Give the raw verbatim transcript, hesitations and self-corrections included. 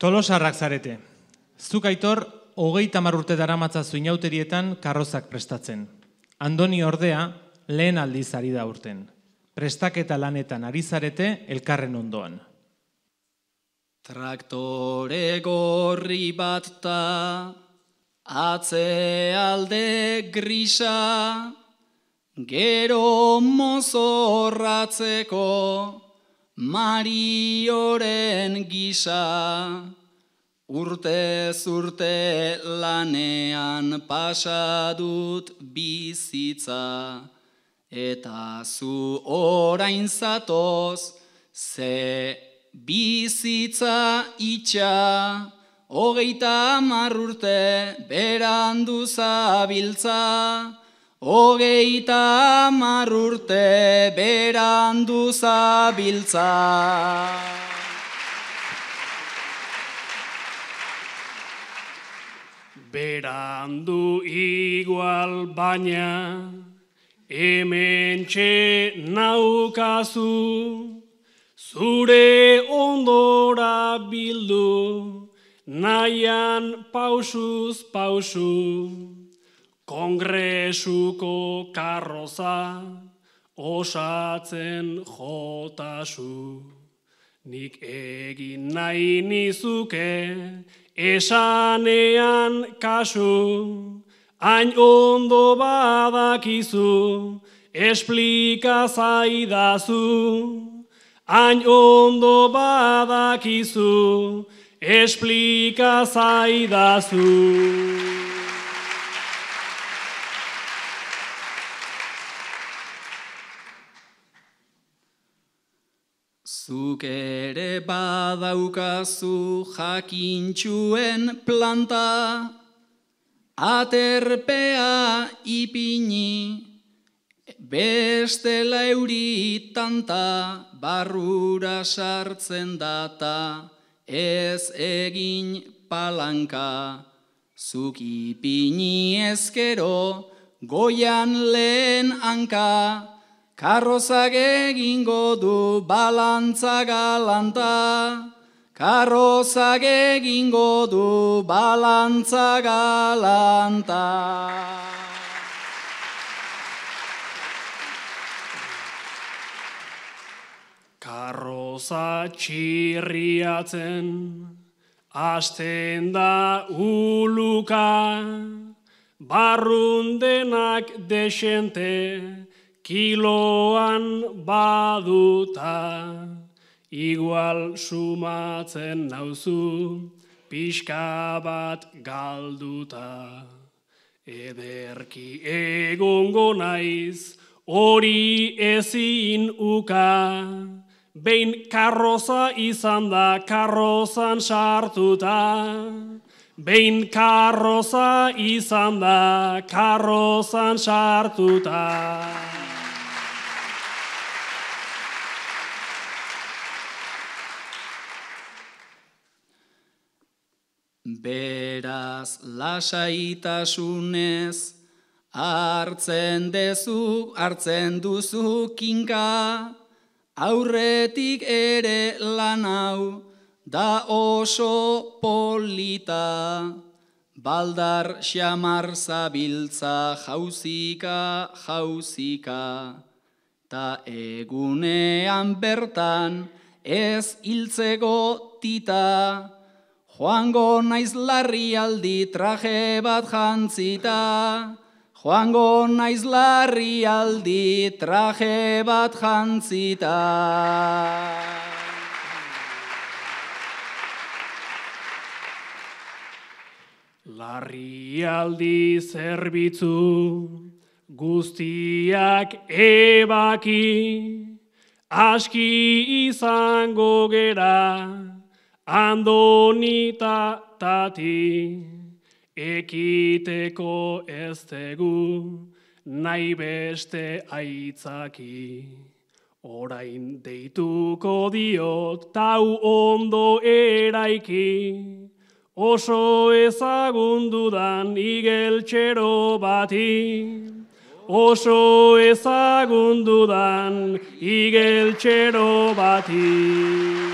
Tolosarrak zarete. Zuk Aitor, hogeita hamar urte daramatzazu inauterietan karrozak prestatzen. Andoni ordea, lehen aldiz ari da urten. Prestaketa lanetan ari zarete elkarren ondoan. Traktore gorri bat ta, atzealde grisa, gero mozorratzeko Marioren gisa. Urtez urte lanean pasa dut bizitza, eta zu orain zatoz, ze bizitza itxa, hogeita hamar urte berandu zabiltza, hogeita hamar urte berandu zabiltza. Berandu igual baina, hementxe naukazu, zure ondora bildu, nahian pausuz pausu, kongresuko karroza, osatzen jotasu. Nik egin nahi nizuke, esanean kasu, hain ondo badakizu, esplika zaidazu. Hain ondo badakizu, esplika zaidazu. Zuk ere badaukazu jakintxuen planta, aterpea ipini, bestela euri tanta, barrura sartzen data, ez egin palanka. Zuk ipini ezkero, goian lehen hanka, karrozak egingo du balantza galanta, karrozak egingo du balantza galanta. Karroza txirriatzen, hasten da uluka, barrundenak desente, kiloan baduta, igual sumatzen nauzu, pixka bat galduta. Ederki egongo naiz, hori ezin uka, behin karroza izan da karrozan sartuta. Behin karroza izan da karrozan sartuta. Beraz lasaitasunez, hartzen dezu, hartzen duzu kinka, aurretik ere lan hau da oso polita, baldar xamar zabiltza jauzika, jauzika, ta egunean bertan ez hiltzeko tita, joango naiz larrialdi traje bat jantzita, joango naiz larrialdi traje bat jantzita. Larrialdi zerbitzu guztiak ebaki, aski izango gera, Andonita tati, ekiteko ez tegu, nahi beste aitzaki. Orain deituko diot, tau ondo eraiki, oso ezagundudan igeltxero bati. Oso ezagundudan igeltxero bati.